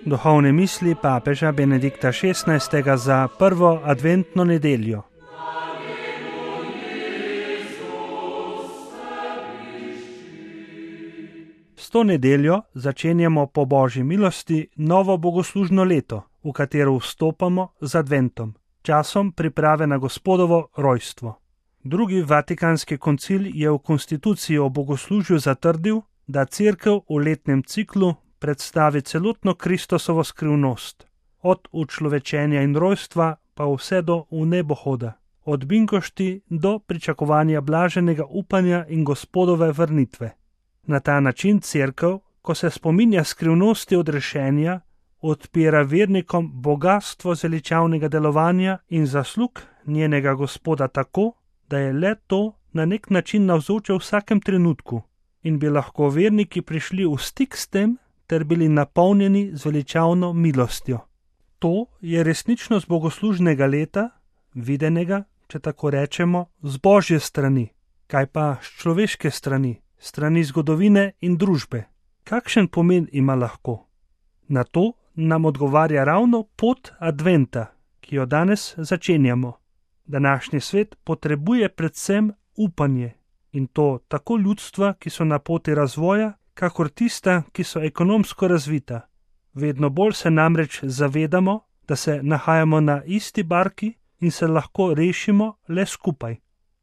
Duhovne misli papeža Benedikta XVI za prvo adventno nedeljo. S to nedeljo začenjamo po Božji milosti novo bogoslužno leto, v katero vstopamo z adventom, časom priprave na Gospodovo rojstvo. Drugi Vatikanski koncil je v konstituciji o bogoslužju zatrdil, da Cerkev v letnem ciklu predstavi celotno Kristusovo skrivnost, od učlovečenja in rojstva pa vse do vnebohoda, od binkošti do pričakovanja blaženega upanja in Gospodove vrnitve. Na ta način Cerkev, ko se spominja skrivnosti odrešenja, odpira vernikom bogastvo zveličavnega delovanja in zaslug njenega Gospoda tako, da je le to na nek način navzoče v vsakem trenutku in bi lahko verniki prišli v stik s tem ter bili napolnjeni z veličavno milostjo. To je resničnost bogoslužnega leta, videnega, če tako rečemo, z Božje strani, kaj pa s človeške strani, strani zgodovine in družbe. Kakšen pomen ima lahko? Na to nam odgovarja ravno pot adventa, ki jo danes začenjamo. Današnji svet potrebuje predvsem upanje, in to tako ljudstva, ki so na poti razvoja, kakor tista, ki so ekonomsko razvita. Vedno bolj se namreč zavedamo, da se nahajamo na isti barki in se lahko rešimo le skupaj.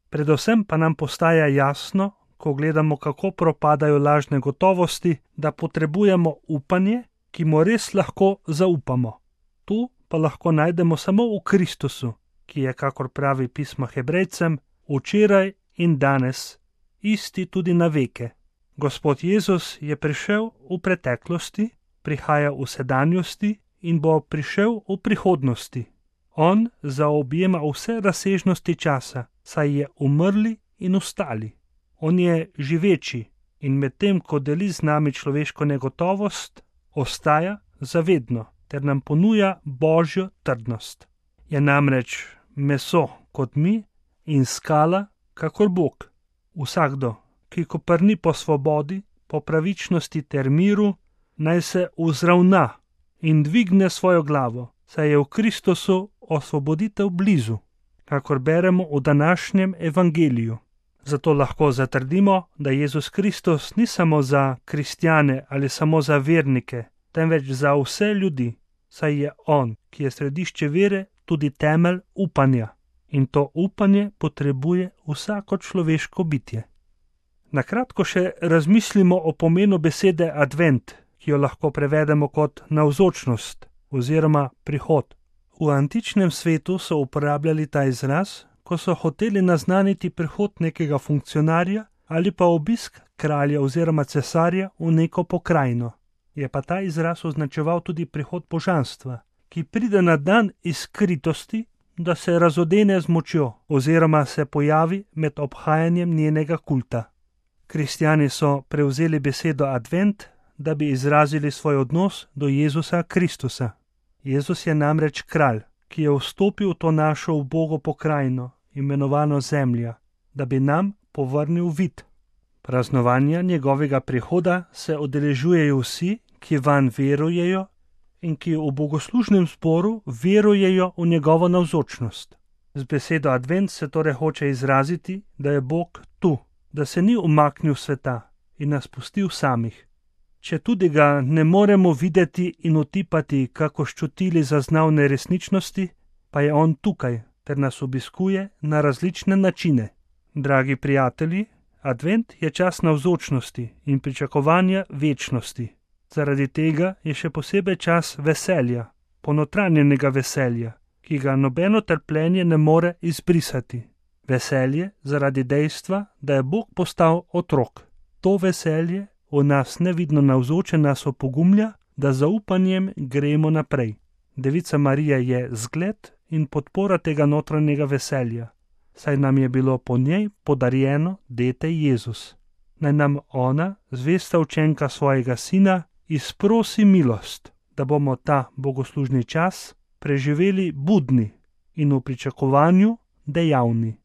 Predvsem pa nam postaja jasno, ko gledamo, kako propadajo lažne gotovosti, da potrebujemo upanje, ki mu res lahko zaupamo. Tu pa lahko najdemo samo v Kristusu, ki je, kakor pravi pismo Hebrejcem, včeraj in danes, isti tudi na veke. Gospod Jezus je prišel v preteklosti, prihaja v sedanjosti in bo prišel v prihodnosti. On zaobjema vse razsežnosti časa, saj je umrli in vstali. On je živeči in medtem, ko deli z nami človeško negotovost, ostaja zavedno ter nam ponuja Božjo trdnost. Je namreč meso kot mi in skala kakor Bog. Vsakdo, ki koprni po svobodi, po pravičnosti ter miru, naj se vzravna in dvigne svojo glavo, saj je v Kristusu osvoboditev blizu, kakor beremo v današnjem evangeliju. Zato lahko zatrdimo, da Jezus Kristus ni samo za kristjane ali samo za vernike, temveč za vse ljudi, saj je On, ki je središče vere, tudi temelj upanja. In to upanje potrebuje vsako človeško bitje. Na kratko še razmislimo o pomenu besede advent, ki jo lahko prevedemo kot navzočnost oziroma prihod. V antičnem svetu so uporabljali ta izraz, ko so hoteli naznaniti prihod nekega funkcionarja ali pa obisk kralja oziroma cesarja v neko pokrajino. Je pa ta izraz označeval tudi prihod božanstva, ki pride na dan iz skritosti, da se razodene z močjo oziroma se pojavi med obhajanjem njenega kulta. Kristjani so prevzeli besedo advent, da bi izrazili svoj odnos do Jezusa Kristusa. Jezus je namreč kralj, ki je vstopil v to našo ubogo pokrajino, imenovano zemlja, da bi nam povrnil vid. Praznovanja njegovega prihoda se udeležujejo vsi, ki vanj verujejo in ki v bogoslužnem zboru verujejo v njegovo navzočnost. Z besedo advent se torej hoče izraziti, da je Bog tu, da se ni umaknil sveta in nas pustil samih. Če tudi ga ne moremo videti in otipati, kako ščutili zaznavne resničnosti, pa je on tukaj, ter nas obiskuje na različne načine. Dragi prijatelji, advent je čas navzočnosti in pričakovanja večnosti. Zaradi tega je še posebej čas veselja, ponotranjenega veselja, ki ga nobeno trpljenje ne more izbrisati. Veselje zaradi dejstva, da je Bog postal otrok. To veselje v nas nevidno navzoče nas opogumlja, da zaupanjem gremo naprej. Devica Marija je zgled in podpora tega notranjega veselja, saj nam je bilo po njej podarjeno dete Jezus. Naj nam ona, zvesta učenka svojega sina, izprosi milost, da bomo ta bogoslužni čas preživeli budni in v pričakovanju dejavni.